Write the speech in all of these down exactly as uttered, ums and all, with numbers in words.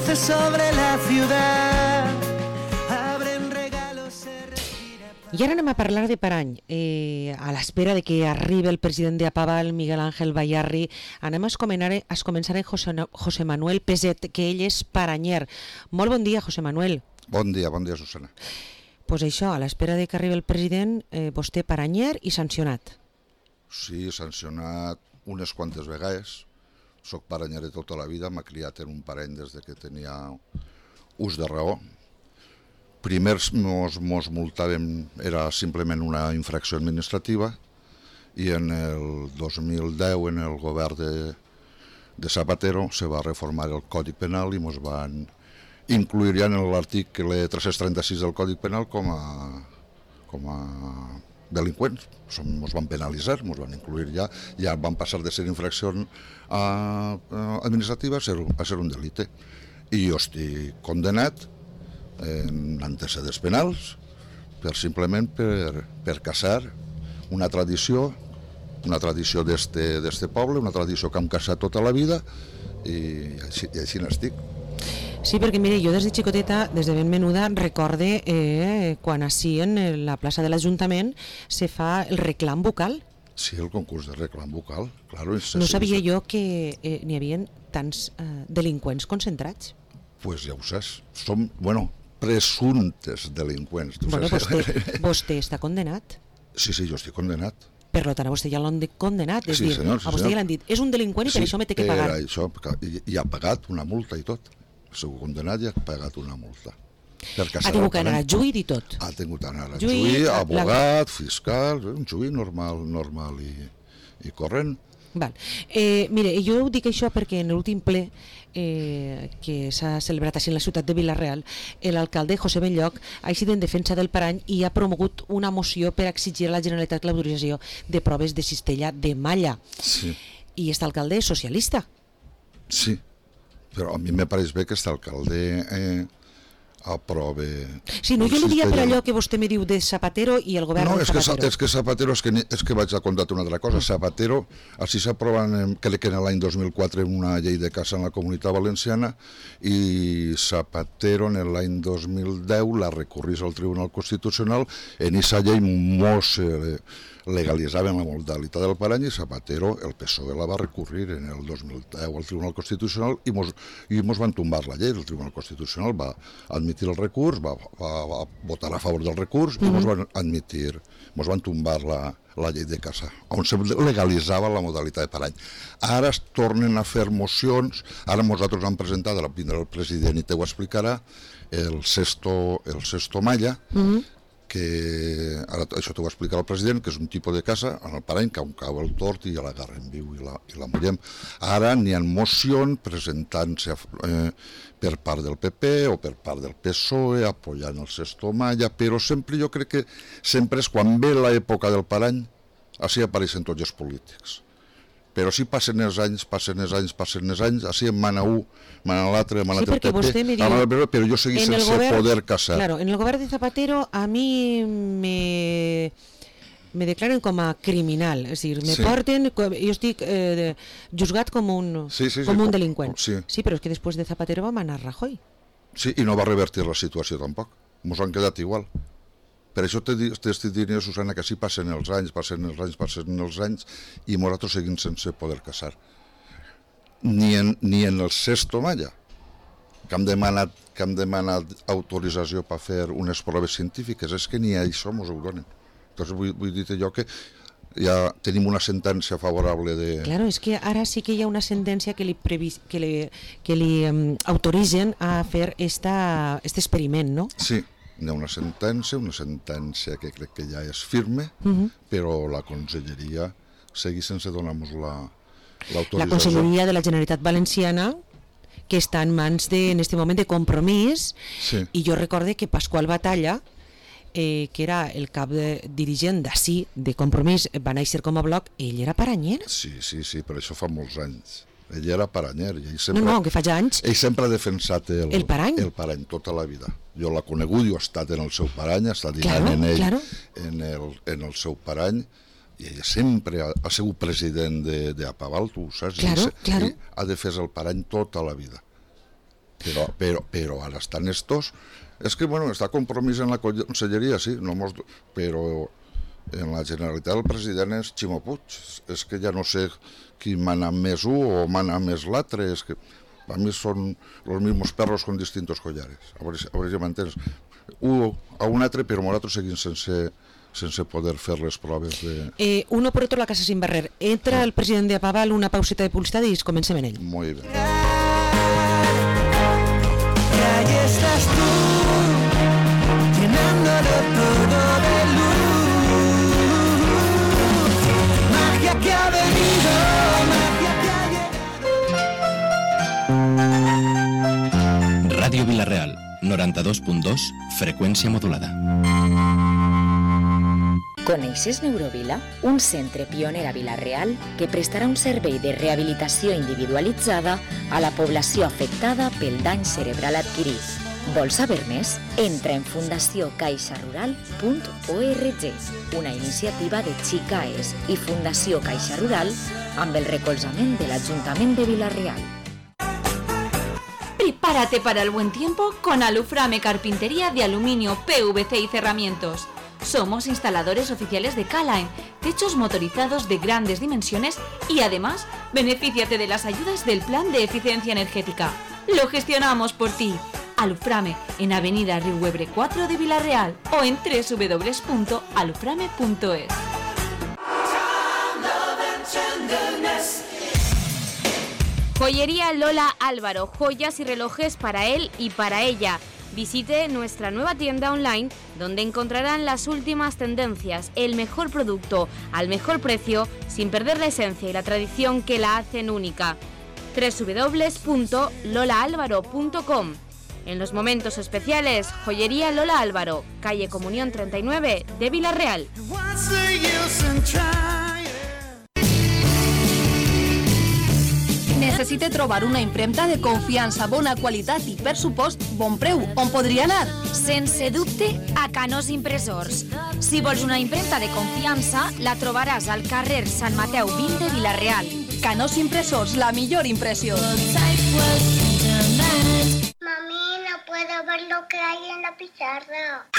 luces sobre la ciudad. Abren regalos, se respira. I ara anem a parlar de Parany. Eh, a l'espera de que arribi el president de Apaval, Miguel Ángel Bayarri, anem a començar, a començar en José, José Manuel Peset, que ell és paranyer. Molt bon dia, José Manuel. Bon dia, bon dia, Susana. Pues això, a l'espera de que arribi el president, eh, vostè paranyer i sancionat. Sí, sancionat unes quantes vegades. Soc paranyer de tota la vida, m'ha criat en un parany des de que tenia ús de raó. Primers mos, mos multàvem, era simplement una infracció administrativa, i en el dos mil deu, en el govern de, de Zapatero, se va reformar el Codi Penal i mos van incluir ja en l'article tres-cents trenta-sis del Codi Penal com a, com a delinqüents. Ens van penalitzar, ens van incluir ja, ja van passar de ser infracció uh, administrativa a ser, a ser un delicte. I jo estic condenat en antecedents penals per simplement per, per caçar una tradició, una tradició d'este poble, una tradició que hem caçat tota la vida, i així, i així n'estic. Sí, perquè mire, jo des de xicoteta, des de ben menuda, recorde eh, quan així en la plaça de l'Ajuntament se fa el reclam vocal. Sí, el concurs de reclam vocal, claro. No sabia jo que eh, n'hi havia tants eh, delinqüents concentrats. Pues ja ho saps, som, bueno, presumptes delinqüents. Bueno, vostè, vostè està condenat. Sí, sí, jo estic condenat. Per tant, a vostè ja l'han condenat, és sí, dir, senyor, sí, a vostè ja l'han dit, és un delinqüent i per sí, això me té que pagar. Sí, això, i, i ha pagat una multa i tot. Segur condenat i ha pagat una multa. Ha tingut que anar a juí i tot. Ha tingut que anar a juí, juí abogat, la... fiscal, un juí normal, normal i, i corrent. Val. Eh, mire, jo ho dic això perquè en l'últim ple eh, que s'ha celebrat així en la ciutat de Vila-real, l'alcalde José Belloc ha eixit en defensa del Parany i ha promogut una moció per exigir a la Generalitat l'autorització de proves de cistella de malla. Sí. I aquest alcalde és socialista. Sí, però a mi me pareix bé que aquest alcalde eh, aprove... Sí, no, jo li dia per allò que vostè me diu de Zapatero i el govern no, de Zapatero. No, és que Zapatero, és que, és que vaig a contar una altra cosa. Zapatero, així s'aproven, crec que en l'any dos mil quatre, una llei de casa en la Comunitat Valenciana, i Zapatero en l'any dos mil deu la recorrís al Tribunal Constitucional. En aquesta llei mos legalitzaven la modalitat del parany i Zapatero, el P S O E la va recurrir en el dos mil deu al Tribunal Constitucional i mos, i mos van tombar la llei. El Tribunal Constitucional va admitir el recurs, va, va, va votar a favor del recurs, mm-hmm. i mos van admitir, mos van tombar la, la llei de casa, on se legalitzava la modalitat de parany. Ara es tornen a fer mocions, ara nosaltres hem presentat, ara vindrà el president i te ho explicarà, el Sesto, el Sesto Malla, mm-hmm. que ara això t'ho va explicar el president, que és un tipus de casa en el parany que on cau el tort i ja l'agarrem viu i la, i la mullem. Ara n'hi ha mocions presentant-se eh, per part del P P o per part del P S O E apoyant el Sesto Malla, però sempre jo crec que sempre és quan ve l'època del parany, així apareixen tots els polítics. Però si passen els anys, passen els anys, passen els anys, així en mana un, mana l'altre, mana sí, el P P, diu, però jo seguís sense govern, poder casar. Claro, en el govern de Zapatero a mi me, me declaren com a criminal, és a dir, me sí. porten, jo estic eh, juzgat com un, sí, sí, com sí, un delinqüent. Sí. sí, però és que després de Zapatero va manar Rajoy. Sí, i no va revertir la situació tampoc, ens han quedat igual. Per això t'estic dient, Susana, que així passen els anys, passen els anys, passen els anys, i nosaltres seguim sense poder casar. Ni en, ni en el Sesto Malla, que hem demanat, que hem demanat autorització per fer unes proves científiques, és que ni això ens ho donen. Entonces vull, vull dir jo que ja tenim una sentència favorable de... Claro, és que ara sí que hi ha una sentència que li, previs, que li, que li um, autoritzen a fer esta, este experiment, no? Sí. Hi ha una sentència, una sentència que crec que ja és firme, uh-huh. però la conselleria segueix sense donar-nos l'autorització. La conselleria de la Generalitat Valenciana, que està en mans de, en este moment de Compromís, sí. i jo recorde que Pasqual Batalla, eh, que era el cap de, dirigent d'ací, de Compromís, va néixer com a bloc, ell era paranyer? Sí, sí, sí, però això fa molts anys. Ell era paranyer. Ell sempre, no, no, que fa ja anys. Ell sempre ha defensat el, el parany. El parany tota la vida. Jo l'he conegut, jo he estat en el seu parany, he estat dinant claro, en ell, claro. en, el, en el seu parany, i ella sempre ha, ha sigut president d'Apaval, tu ho saps? Claro, I, claro. I ha defès el parany tota la vida. Però, però, però ara estan estos... És que, bueno, està compromís en la conselleria, sí, no mos... però en la Generalitat el president és Ximo Puig. És que ja no sé qui mana més un o mana més l'altre, és que a mi són els mismos perros con distintos collares. A veure, a veure si m'entens. Un a un altre, però nosaltres seguim sense, sense poder fer les proves de... Eh, uno por otro la casa sin barrer. Entra el president de Paval, una pauseta de publicitat i comencem en ell. Molt bé. Que ahí estás tú, llenándolo todo de luz. Magia que ha venido, magia que ha llegado. Ràdio Vila-real, noranta-dos punt dos, freqüència modulada. Coneixes Neurovila? Un centre pioner a Vila-real que prestarà un servei de rehabilitació individualitzada a la població afectada pel dany cerebral adquirit. Vols saber més? Entra en fundació caixa rural punt org, una iniciativa de Xicaes i Fundació Caixa Rural amb el recolzament de l'Ajuntament de Vila-real. Prepárate para el buen tiempo con Aluframe Carpintería de Aluminio, P V C y Cerramientos. Somos instaladores oficiales de K-Line, techos motorizados de grandes dimensiones y además benefíciate de las ayudas del Plan de Eficiencia Energética. Lo gestionamos por ti. Aluframe en Avenida Riuebre cuatro de Vila-real o en doble u doble u doble u punto aluframe punto es. Joyería Lola Álvaro, joyas y relojes para él y para ella. Visite nuestra nueva tienda online donde encontrarán las últimas tendencias, el mejor producto al mejor precio sin perder la esencia y la tradición que la hacen única. doble u doble u doble u punto lola álvaro punto com. En los momentos especiales, Joyería Lola Álvaro, calle Comunión treinta y nueve de Vila-real. Necessite trobar una impremta de confiança, bona qualitat i, per supost, bon preu. On podria anar? Sense dubte, a Canós Impressors. Si vols una impremta de confiança, la trobaràs al carrer Sant Mateu vint de Vila-real. Canós Impressors, la millor impressió. Mami, no puedo ver lo que hay en la pizarra.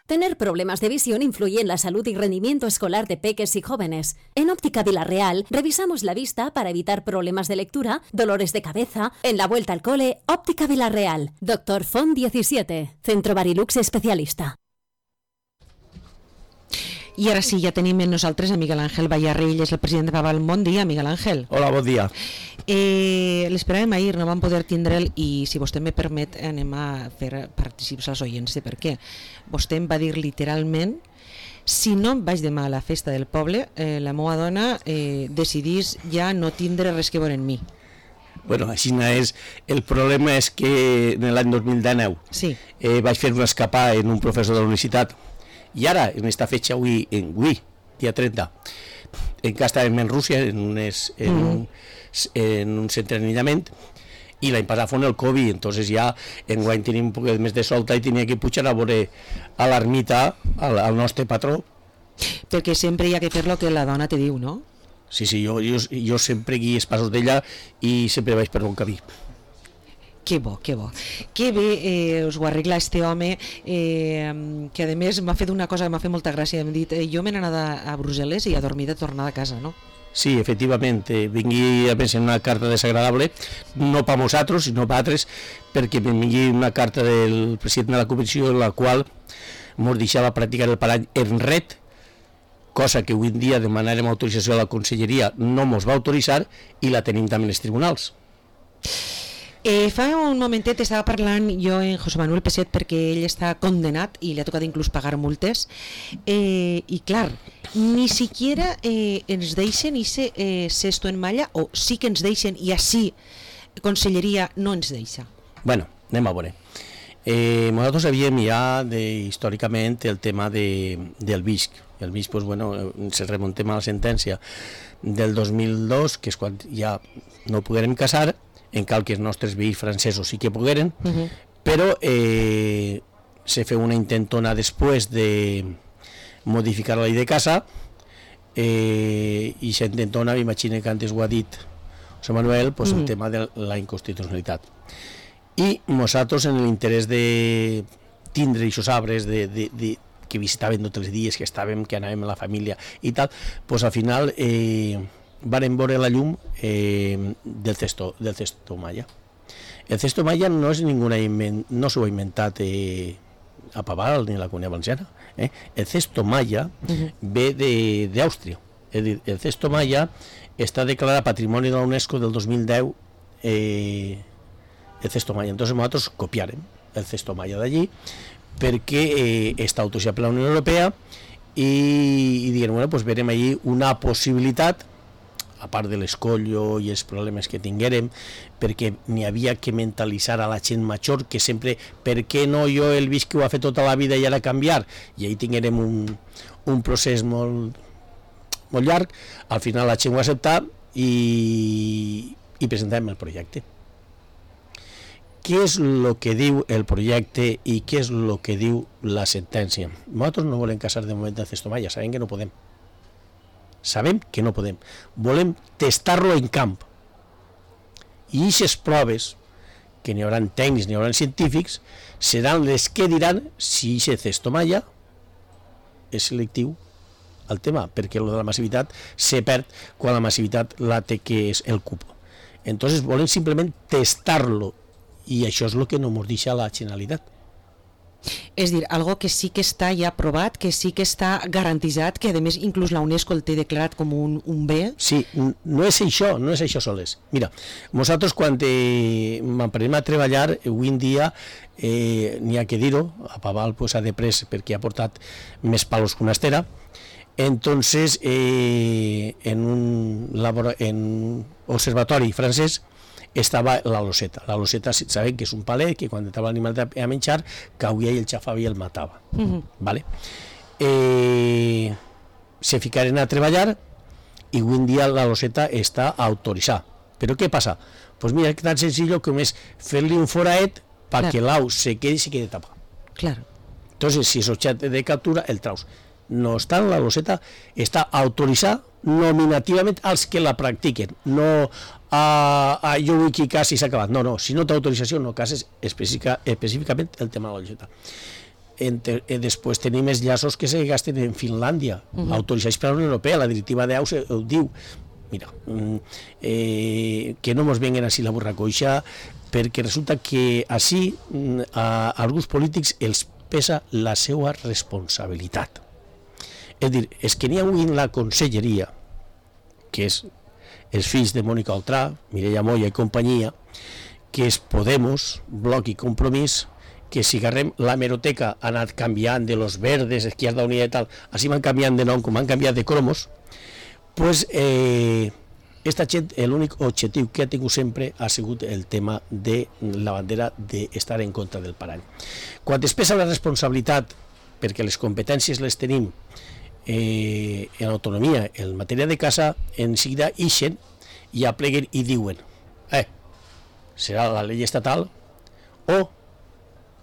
Tener problemas de visión influye en la salud y rendimiento escolar de peques y jóvenes. En Óptica Vila-real revisamos la vista para evitar problemas de lectura, dolores de cabeza. En la vuelta al cole, Óptica Vila-real. Doctor Font diecisiete, Centro Barilux especialista. I ara sí, ja tenim amb nosaltres a Miguel Ángel Vallarrell, és el president de Paval. Bon dia, Miguel Ángel. Hola, bon dia. Eh, L'esperàvem ahir, no vam poder tindre'l i, si vostè me permet, anem a fer participar als oients de per què. Vostè em va dir literalment: si no em vaig demà a la festa del poble, eh, la meva dona eh, decidís ja no tindre res que veure en mi. Bueno, així és. El problema és que en l'any dos mil dinou sí. eh, vaig fer una escapada en un professor de la universitat. I ara, en esta fecha, avui, en avui, dia trenta, encara estàvem en Rússia, en, unes, en, mm. un, en un centre d'anillament, i l'any passat fon el Covid, entonces ja enguany tenim un poc més de solta i tenia que pujar a veure a l'ermita, al, al nostre patró. Perquè sempre hi ha que fer lo que la dona te diu, no? Sí, sí, jo, jo, jo sempre guies els passos d'ella i sempre vaig per bon camí. Que bo, que bo. Que bé eh, us ho arregla este home, eh, que a més m'ha fet una cosa que m'ha fet molta gràcia. M'ha dit, eh, jo m'he anat a, a Brussel·les i a dormir de tornada a casa, no? Sí, efectivament, eh, vingui a pensar una carta desagradable, no per nosaltres, sinó per altres, perquè em vingui una carta del president de la comissió en la qual ens deixava practicar el parany en ret, cosa que avui en dia demanarem autorització a la conselleria, no ens va autoritzar i la tenim també en els tribunals. Eh, fa un momentet estava parlant jo en José Manuel Peset perquè ell està condenat i li ha tocat inclús pagar multes eh, i clar, ni siquiera eh, ens deixen ese eh, cesto en malla, o sí que ens deixen i així conselleria no ens deixa. Bueno, anem a veure. Eh, nosaltres havíem ja de, històricament el tema de, del V I S C. El V I S C, pues, bueno, se remontem a la sentència del dos mil dos, que és quan ja no poguérem casar, en cal que els nostres veïns francesos sí que pogueren, uh-huh. però eh, se feu una intentona després de modificar la llei de casa eh, i s'intentona, m'imagino que antes ho ha dit, o José Manuel, pues Mm. el tema de la inconstitucionalitat. I nosaltres, en l'interès de tindre aquests arbres de, de, de, que visitaven tots els dies, que estàvem, que anàvem a la família i tal, pues al final eh, varen veure la llum eh, del cesto, del cesto maya. El cesto maya no és ninguna invent, no s'ho ha inventat eh, a Paval ni a la Comunitat Valenciana. Eh? El cesto maya uh-huh. ve d'Àustria. És dir, el cesto maya està declarat Patrimoni de la UNESCO del dos mil deu, eh, el cesto maya. Entonces nosaltres copiarem el cesto maya d'allí perquè eh, està autoritzat per la Unió Europea i, i diguem, bueno, pues verem allí una possibilitat, a part de l'escollo i els problemes que tinguérem, perquè n'hi havia que mentalitzar a la gent major que sempre, per què no jo el visc que ho ha fet tota la vida i ara canviar? I ahí tinguérem un, un procés molt, molt llarg. Al final la gent ho ha acceptat i, i presentem el projecte. Què és el que diu el projecte i què és el que diu la sentència? Nosaltres no volem casar de moment en cesto maya, sabem que no podem. Sabem que no podem. Volem testar-lo en camp. I aquestes proves, que n'hi haurà tècnics, n'hi haurà científics, seran les que diran si aquest cesto maya és selectiu al tema, perquè lo de la massivitat se perd quan la massivitat la té que és el cupo. Entonces volem simplement testar-lo i això és el que no ens deixa la Generalitat. És dir, algo que sí que està ja aprovat, que sí que està garantitzat, que a més inclús la UNESCO el té declarat com un, un bé. Sí, no és això, no és això soles. Mira, nosaltres quan eh, m'aprenem a treballar, avui en dia eh, n'hi ha que dir-ho, a Paval pues, ha de pres perquè ha portat més palos que una estera. Entonces, eh, en un labor en un observatori francès estava la loseta. La loseta sabem que és un palet que quan estava l'animal a menjar cauia i el xafava i el matava. Uh-huh. Vale? Eh, se ficaren a treballar i avui en dia la loseta està autoritzada. Però què passa? Pues mira, que tan senzill com és fer-li un foraet perquè l'au se quedi i se quedi tapat. Claro. Entonces, si és objecte de captura, el traus. No obstant, la loseta està autoritzada nominativament als que la practiquen, no a, a jo vull que casi i s'ha acabat. No, no, si no té autorització no cases específica, específicament el tema de la loseta. Entre, eh, després tenim els llaços que se gasten en Finlàndia, uh-huh. autoritzats per la Unió Europea, la directiva d'Aus ho diu. Mira, eh, que no ens venguen així la burra coixa, perquè resulta que així a, a alguns polítics els pesa la seva responsabilitat. És dir, és que n'hi ha avui en la conselleria, que és els fills de Mònica Oltrà, Mireia Moya i companyia, que és Podemos, Bloc i Compromís, que si agarrem la hemeroteca ha anat canviant de los verdes, Izquierda Unida i tal, així van canviant de nom, com han canviat de cromos, pues eh, esta gent, l'únic objectiu que ha tingut sempre ha sigut el tema de la bandera d'estar en contra del parany. Quan es pesa la responsabilitat, perquè les competències les tenim eh, en autonomia, en matèria de casa, en seguida ixen i apleguen i diuen eh, serà la llei estatal o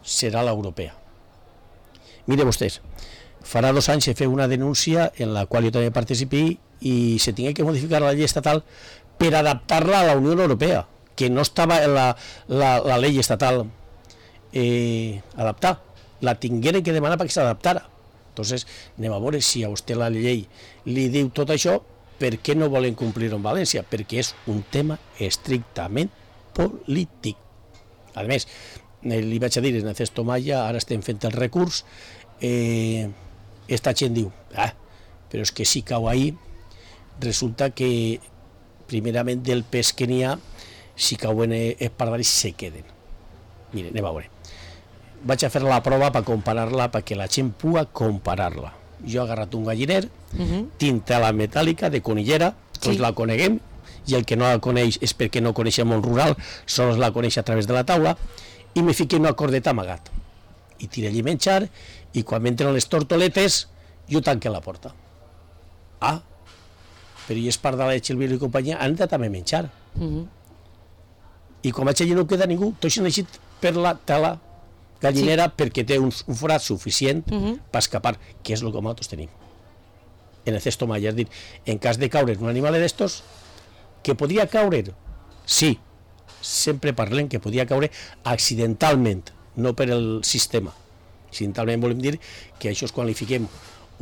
serà l'europea. Mire vostès, farà dos anys se feu una denúncia en la qual jo també participé i se tingué que modificar la llei estatal per adaptar-la a la Unió Europea, que no estava en la, la, la llei estatal eh, adaptada, la tingueren que demanar perquè s'adaptara. Entonces, anem a veure si a vostè la llei li diu tot això, per què no volen complir-ho en València? Perquè és un tema estrictament polític. A més, li vaig a dir, en el cesto maya, ara estem fent el recurs, eh, esta gent diu, ah, però és que si cau ahí, resulta que, primerament, del pes que n'hi ha, si cauen els pardalis se queden. Mire, anem a veure. Vaig a fer la prova per comparar-la, perquè la gent pugui comparar-la. Jo he agarrat un galliner, uh-huh. tinc tela metàl·lica de conillera, tots sí. La coneguem, i el que no la coneix és perquè no coneix el món rural, sols la coneix a través de la taula, i me fiqué una cordeta amagat. I tiré allí menjar, i quan m'entren les tortoletes, jo tanque la porta. Ah, però i és part de la Xelvira i companyia, han entrat també menjar. Uh-huh. I quan vaig allí no queda ningú, tots han eixit per la tela gallinera sí. Perquè té un, un forat suficient uh-huh. per escapar, que és el que nosaltres tenim. En el cesto maya, és dir, en cas de caure un animal d'estos, que podria caure Sí, sempre parlem que podia caure accidentalment, no per el sistema. Accidentalment volem dir que això és quan li fiquem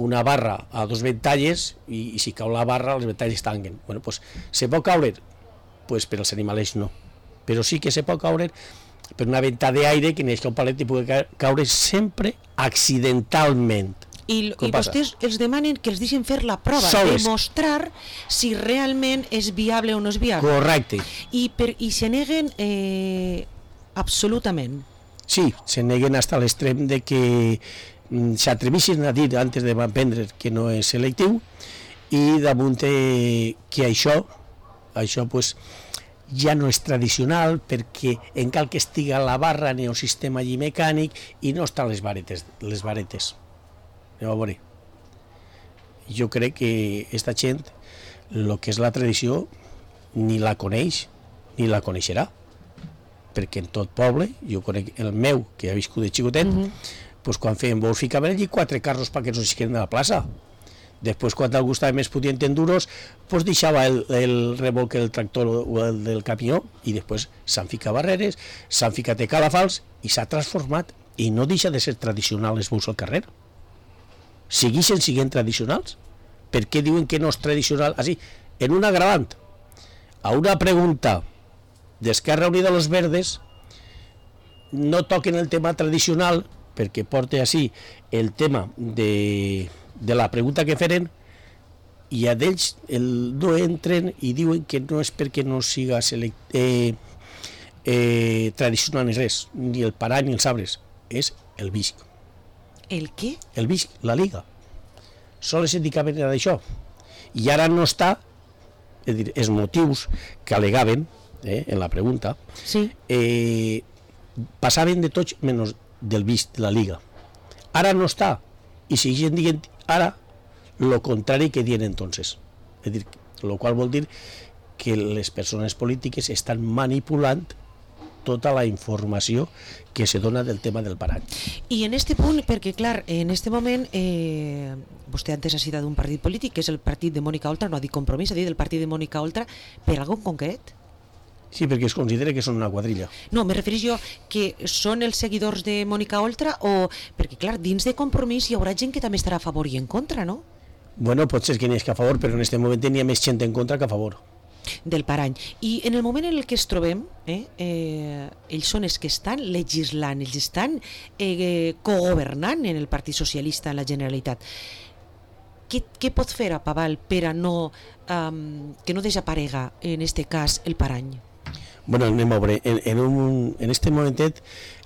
una barra a dos ventalles i, i si cau la barra les ventalles tanquen. Bueno, pues, se pot caure? Pues per als animals no. Però sí que se pot caure per una venta d'aire que n'hi ha un palet i pugui caure sempre accidentalment. I, i vostès els demanen que els deixin fer la prova, Soles. demostrar si realment és viable o no és viable. Correcte. I, per, i se neguen eh, absolutament. Sí, se neguen fins a l'extrem de que mm, s'atrevissin a dir antes de prendre que no és selectiu i damunt eh, que això, això pues, ja no és tradicional perquè en cal que estiga la barra ni un sistema allí mecànic i no estan les varetes. Les varetes. A veure, jo crec que aquesta gent el que és la tradició ni la coneix ni la coneixerà, perquè en tot poble, jo conec el meu que ha viscut de xicotet, mm -hmm. pues quan feien bous ficaven allí quatre carros perquè no s'isqueren de la plaça. Després, quan algú estava més pudient en duros, pues deixava el, el remolc del tractor o el del camió i després s'han ficat barreres, s'han ficat calafals i s'ha transformat i no deixa de ser tradicional els bous al carrer. Segueixen siguent tradicionals? Per què diuen que no és tradicional? Així, en un agravant, a una pregunta d'Esquerra Unida de los Verdes, no toquen el tema tradicional, perquè porta així el tema de, de la pregunta que feren, i a d'ells el, no entren i diuen que no és perquè no siga select, eh, eh, tradicional ni res, ni el parany ni els arbres, és el visc. El què? El visc, la liga. Sols es dedicaven a això. I ara no està, és dir, els motius que alegaven eh, en la pregunta, sí. eh, passaven de tots menys del visc de la liga. Ara no està, i segueixen dient ara el contrari que dient entonces. És dir, el qual vol dir que les persones polítiques estan manipulant tota la informació que se dona del tema del parany. I en este punt, perquè clar, en este moment eh, vostè antes ha citat un partit polític que és el partit de Mònica Oltra, no ha dit Compromís, ha dit el partit de Mònica Oltra, per algun concret? Sí, perquè es considera que són una quadrilla. No, me refereix jo que són els seguidors de Mònica Oltra o... Perquè clar, dins de Compromís hi haurà gent que també estarà a favor i en contra, no? Bueno, pot ser que n'hi hagi a favor, però en aquest moment n'hi ha més gent en contra que a favor. Del parany. I en el moment en el que es trobem, eh, eh, ells són els que estan legislant, ells estan eh, cogovernant en el Partit Socialista en la Generalitat. Què, què pot fer a Paval per a no, um, que no desaparega en este cas el parany? Bueno, anem a veure, en, en, un, en este momentet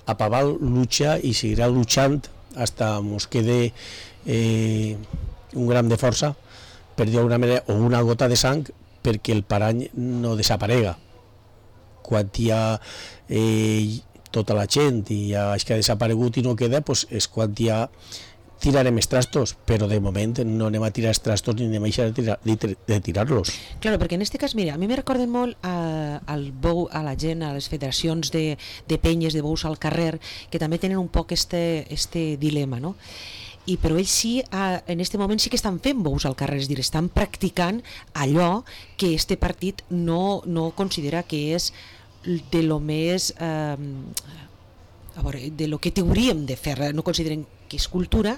a Paval lucha i seguirà luchant hasta mos quede eh, un gram de força, per dir d'alguna manera, o una gota de sang, perquè el parany no desaparega. Quan hi ha eh, tota la gent i ja és que ha desaparegut i no queda, pues és quan ja tirarem els trastos, però de moment no anem a tirar els trastos ni anem a deixar de, tirar, de tirar-los. Claro, perquè en este cas, mira, a mi me recorden molt a, al bou, a la gent, a les federacions de, de penyes, de bous al carrer, que també tenen un poc este, este dilema, no? I però ells sí, en aquest moment sí que estan fent bous al carrer, és dir, estan practicant allò que este partit no, no considera que és de lo més eh, a veure, de lo que hauríem de fer, no consideren que és cultura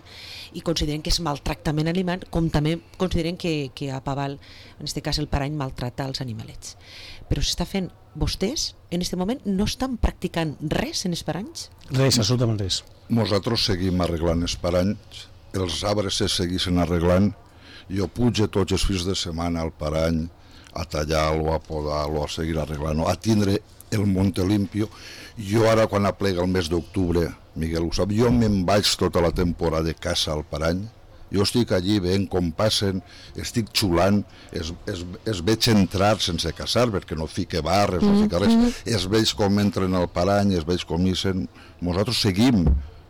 i consideren que és maltractament animal, com també consideren que, que a Paval, en aquest cas el parany, maltrata els animalets. Però s'està fent, vostès en aquest moment no estan practicant res en els paranys? Res, absolutament res. Nosaltres seguim arreglant els paranys, els arbres se segueixen arreglant, jo pujo tots els fins de setmana al parany a tallar-lo, a podar-lo, a seguir arreglant-lo, a tindre el monte limpio. Jo ara quan aplega el mes d'octubre, Miguel ho sap, jo me'n vaig tota la temporada de caça al parany, jo estic allí veient com passen, estic xulant, es, es, es veig entrar sense caçar, perquè no fique barres, no fica res, es veig com entren al parany, es veig com ixen. Nosaltres seguim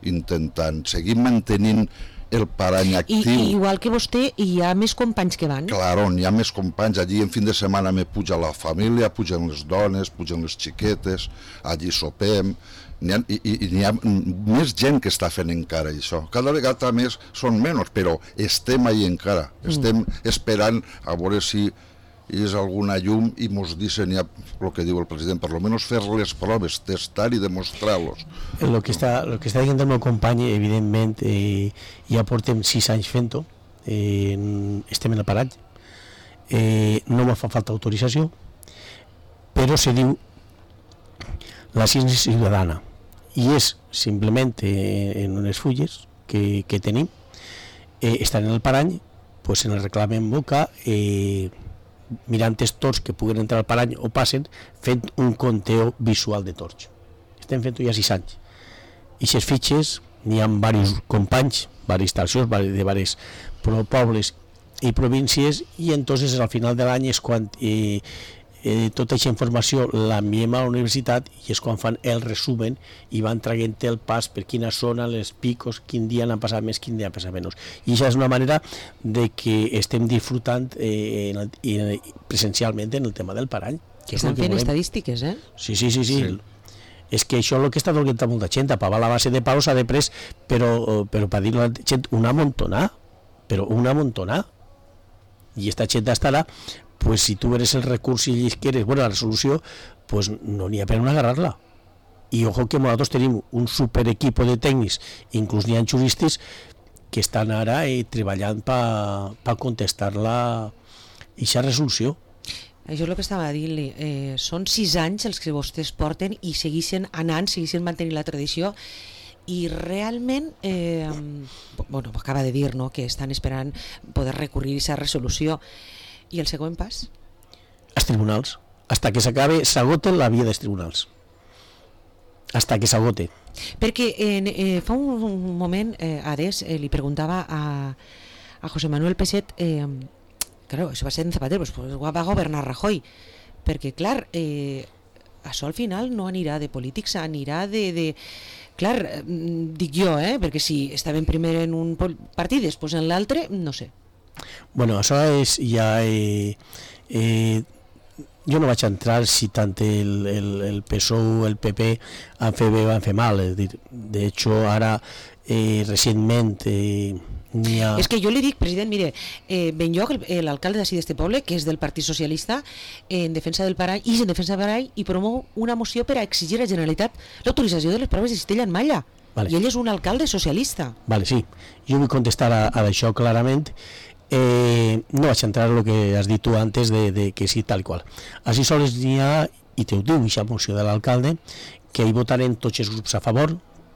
intentant, seguim mantenint el parany actiu. I, igual que vostè, hi ha més companys que van? Claro, hi ha més companys. Allí en fin de setmana me puja la família, pugen les dones, pugen les xiquetes, allí sopem, n'hi ha, i, i n'hi ha més gent que està fent encara això. Cada vegada més són menys, però estem ahí encara. Estem esperant a veure si i és alguna llum i mos dicen ja el que diu el president, per lo menos fer les proves, testar i demostrar-los. El que està, el que està dient el meu company, evidentment, eh, ja portem sis anys fent-ho, eh, estem en el paratge, eh, no me fa falta autorització, però se diu la ciència ciutadana, i és simplement eh, en unes fulles que, que tenim, eh, estan en el parany, pues en el reclam en boca, eh, mirant els torns que puguen entrar al parany o passen, fent un conteo visual de torns. Estem fent-ho ja sis anys. I aquestes fitxes n'hi ha diversos companys, diverses estacions de diversos pobles i províncies, i entonces al final de l'any és quan eh, eh, tota aquesta informació l'enviem a la universitat i és quan fan el resumen i van traient el pas per quina zona, les picos, quin dia n'han passat més, quin dia n'han passat menys. I això és una manera de que estem disfrutant eh, en el, en, presencialment en el tema del parany. Que estan fent estadístiques, eh? Sí, sí, sí, sí. sí. És que això és el que està donant molta gent, a pagar la base de pau s'ha de pres, però, però per dir-ho a la gent, una amontonà, però una amontonà. I esta gent estarà, pues si tu eres el recurs i quieres, bueno, la resolució, pues no n'hi ha per on agarrar-la. I ojo que nosaltres tenim un super equipo de tècnics, inclús n'hi ha juristes, que estan ara eh, treballant per pa contestar-la aquesta resolució. Això és el que estava dient-li, eh, són sis anys els que vostès porten i segueixen anant, segueixen mantenint la tradició, i realment, eh, bueno, acaba de dir, no?, que estan esperant poder recurrir a aquesta resolució. I el següent pas? Els tribunals. Hasta que s'acabe, s'agote la via dels tribunals. Hasta que s'agote. Perquè eh, fa un, un moment, eh, Ares, eh, li preguntava a, a José Manuel Peixet, eh, claro, això va ser en Zapatero, pues, va governar Rajoy, perquè, clar, eh, això al final no anirà de polítics, anirà de... de clar, eh, dic jo, eh, perquè si estaven primer en un partit, després en l'altre, no sé. Bueno, això és ja... Eh, eh, jo no vaig entrar si tant el, el, el P S O o el P P han fet bé o han fet mal. És dir, de hecho, ara, eh, recentment, eh, n'hi ha... És que jo li dic, president, mire, eh, Benlloc, l'alcalde d'ací d'este poble, que és del Partit Socialista, en defensa del parany, i en defensa del parany, i promou una moció per a exigir a la Generalitat l'autorització de les proves de cistella en malla. Vale. I ell és un alcalde socialista. Vale, sí. Jo vull contestar a, a això clarament. Eh, no vaig entrar en el que has dit tu antes de, de que sí, tal qual. Així sols n'hi ha, i te ho diu, aquesta moció de l'alcalde, que hi votaren tots els grups a favor,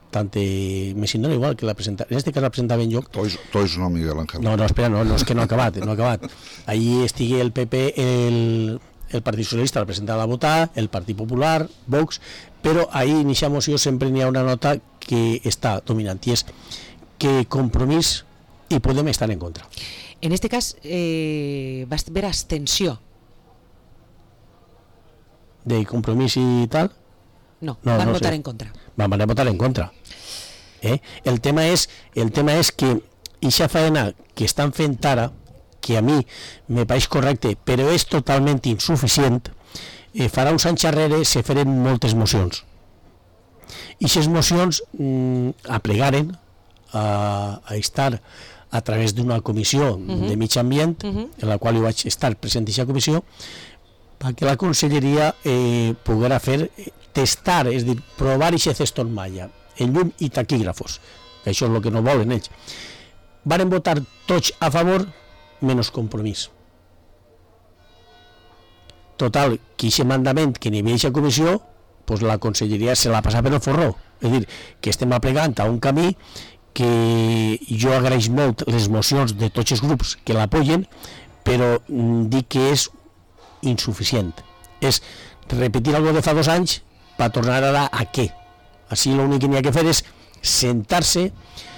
tant eh, me siento igual que la presenta, en este cas la presentava en lloc. Tois, tois no, Miguel Ángel. No, no, espera, no, no, és que no ha acabat, no ha acabat. Ahí estigui el P P, el, el Partit Socialista la presentava a votar, el Partit Popular, Vox, però ahí en aquesta moció sempre n'hi ha una nota que està dominant, i és que Compromís i Podem estan en contra. En este cas eh, va haver abstenció. De Compromís i tal? No, no van no votar sé. en contra. Van, van a votar en contra. Eh? El tema és, el tema és que aquesta feina que estan fent ara, que a mi me pareix correcte, però és totalment insuficient, eh, farà uns anys darrere se feren moltes mocions. I aquestes mocions mm, aplegaren a, a estar a través d'una comissió uh-huh. de mig ambient, uh-huh. en la qual jo vaig estar present en aquesta comissió, perquè la conselleria eh, poguera fer, testar, és dir, provar aquest ceston malla, en llum i taquígrafos, que això és el que no volen ells. Varen votar tots a favor, menys Compromís. Total, que aquest mandament que n'hi havia aquesta comissió, pues la conselleria se la passa per el forró. És dir, que estem aplegant a un camí que jo agraeix molt les mocions de tots els grups que l'apoyen, però dic que és insuficient. És repetir algo de fa dos anys per tornar ara a què? Així l'únic que n'hi ha que fer és sentar-se,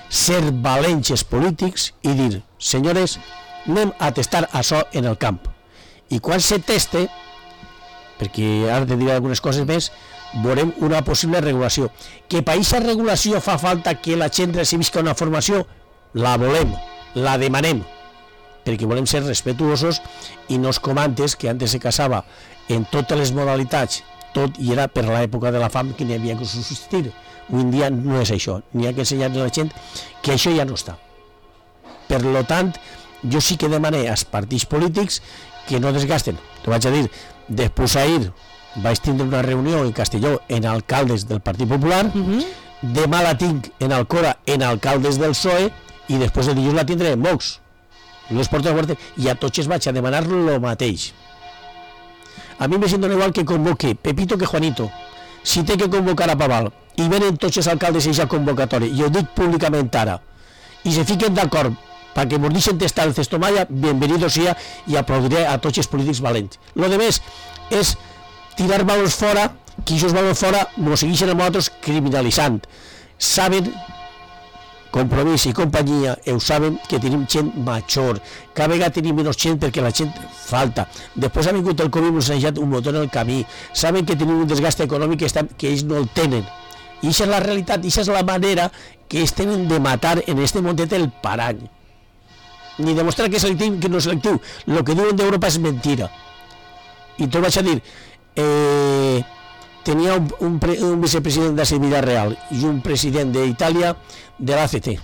ser valents els polítics i dir, senyores, anem a testar això en el camp. I quan se teste, perquè ara te diré algunes coses més, veurem una possible regulació. Que per aquesta regulació fa falta que la gent recibisca una formació, la volem, la demanem, perquè volem ser respetuosos i no es com antes, que antes se casava en totes les modalitats, tot i era per l'època de la fam que n'hi havia que subsistir. Avui en dia no és això, n'hi ha que ensenyar a la gent que això ja no està. Per lo tant, jo sí que demané als partits polítics que no desgasten. T'ho vaig a dir, després ahir vaig tindre una reunió en Castelló en alcaldes del Partit Popular, uh-huh. demà la tinc en Alcora en alcaldes del P S O E i després el dilluns la tindré en Vox. Jo els porto a guarda i a tots els vaig a demanar el mateix. A mi me sento igual que convoque Pepito que Juanito. Si té que convocar a Paval i venen tots els alcaldes a aquesta convocatòria, i ho dic públicament ara, i se fiquen d'acord perquè ens deixen testar el cestomalla, bienvenido sea, i aplaudiré a tots els polítics valents. Lo de més és tirar valors fora, que aquests valors fora ens segueixen a nosaltres criminalitzant. Saben, Compromís i companyia, ho saben que tenim gent major, cada vegada tenim menys gent perquè la gent falta. Després ha vingut el Covid i ens ha deixat un motor en el camí. Saben que tenim un desgast econòmic que, estan, que ells no el tenen. I aquesta és la realitat, i aquesta és la manera que ells tenen de matar en este montet el parany. Ni demostrar que és selectiu que no és selectiu. El que diuen d'Europa és mentira. I t'ho vaig a dir, eh, tenia un, un, pre, un vicepresident de Villarreal i un president d'Itàlia de l'A C T.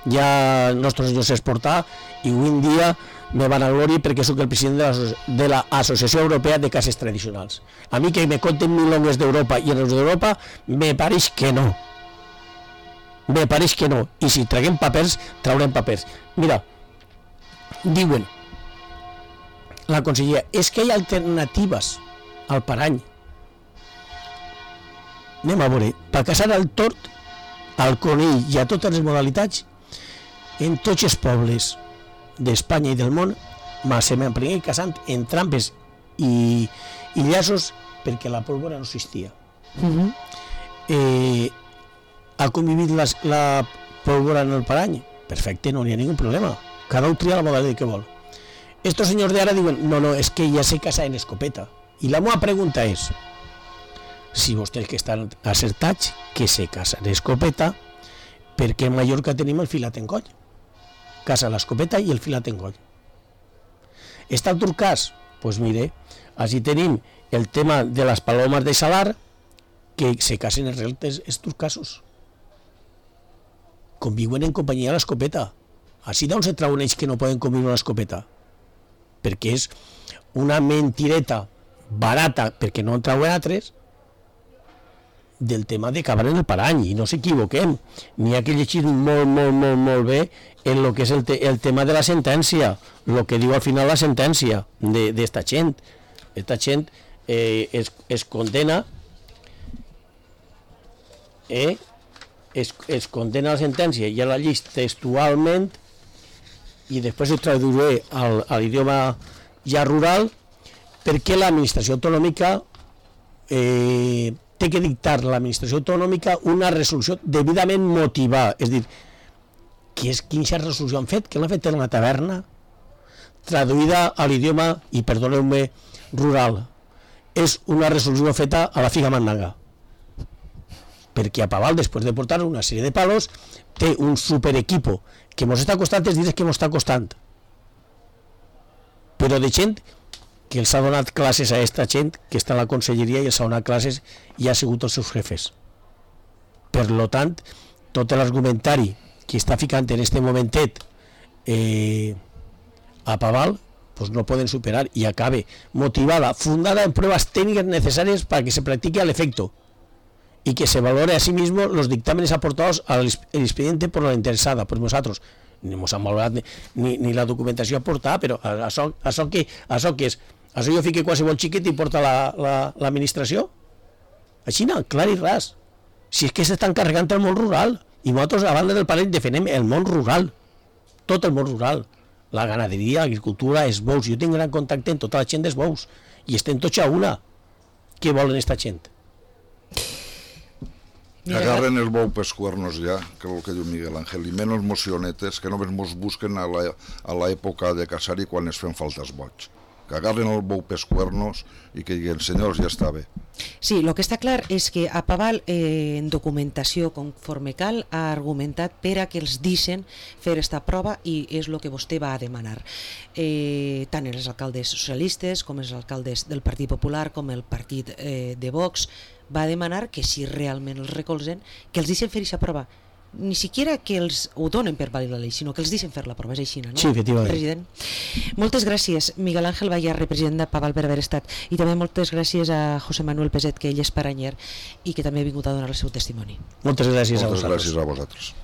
Ja els nostres senyors s'exportar i avui en dia me van a glòria perquè soc el president de l'Associació Europea de Cases Tradicionals. A mi que me conten milongues d'Europa i en els d'Europa me pareix que no. Me pareix que no. I si traguem papers, traurem papers. Mira, diuen la consellera, és que hi ha alternatives al parany. Anem a veure, per caçar el tort, al conill i a totes les modalitats, en tots els pobles d'Espanya i del món, se m'aprengué caçant en trampes i, i llaços perquè la pólvora no existia. Uh-huh. eh, ha convivit la, la pólvora en el parany? Perfecte, no hi ha ningú problema. Cada un tria la modalitat que vol. Estos senyors d'ara diuen, no, no, és que ja se casa en escopeta. I la meva pregunta és, si vostès que estan acertats, que se casa en escopeta, perquè en Mallorca tenim el filat en coll. Casa l'escopeta i el filat en coll. Està el turcàs? Doncs pues mire, així tenim el tema de les palomes de salar, que se casen els reltes els turcassos. Conviuen en companyia a l'escopeta. Així d'on se trauen ells que no poden conviure a l'escopeta? Perquè és una mentireta barata, perquè no en trauen altres, del tema de cavar en el parany, i no s'equivoquem, n'hi ha que llegir molt, molt, molt, molt bé en el que és el, te, el tema de la sentència, el que diu al final la sentència d'esta gent. Esta gent eh, es, es condena eh, es, es condena la sentència i a la llista textualment, i després ho traduiré al, a l'idioma ja rural, perquè l'administració autonòmica eh, té que dictar l'administració autonòmica una resolució debidament motivada. És dir, què és, quina resolució han fet? Que l'han fet en una taverna? Traduïda a l'idioma, i perdoneu-me, rural. És una resolució feta a la figa mandanga. Perquè a Paval, després de portar una sèrie de palos, té un superequipo que ens està costant els diners que ens està costant. Però de gent que els ha donat classes a aquesta gent que està a la conselleria i els ha donat classes i ha sigut els seus jefes. Per lo tant, tot l'argumentari que està ficant en este momentet eh, a Paval, pues no poden superar i acabe motivada, fundada en pruebas técnicas necesarias para que se practique al efecto y que se valore a sí mismo los dictámenes aportados al expediente por la interesada, por nosotros. Ni ens han valorat ni, ni, ni la documentació aportada, però això, això, que, això que és? Això jo fique qualsevol xiquet i porta l'administració? La, així no, clar i ras. Si és que s'estan carregant el món rural, i nosaltres a banda del parell defenem el món rural, tot el món rural, la ganaderia, l'agricultura, els bous. Jo tinc gran contacte amb tota la gent dels bous, i estem tots a una. Què volen esta gent? Que agarren el bou pels cuernos ja, que és el que diu Miguel Ángel, i menys mocionetes, que només mos busquen a l'època de casar-hi quan es fan faltes boig. Que agarren el bou pels cuernos i que diguen, senyors, ja està bé. Sí, el que està clar és que a Paval, eh, en documentació conforme cal, ha argumentat per a que els deixen fer esta prova i és el que vostè va a demanar. Eh, tant els alcaldes socialistes com els alcaldes del Partit Popular com el partit eh, de Vox va demanar que si realment els recolzen, que els deixen fer aquesta prova. ni siquiera que els ho donen per vàlid la llei, sinó que els deixen fer la prova, és així, no? Sí, efectivament. President. Moltes gràcies, Miguel Ángel Vallarre, president de Paval, per haver estat, i també moltes gràcies a José Manuel Peset, que ell és paranyer i que també ha vingut a donar el seu testimoni. Moltes gràcies Moltes a vosaltres. gràcies a vosaltres.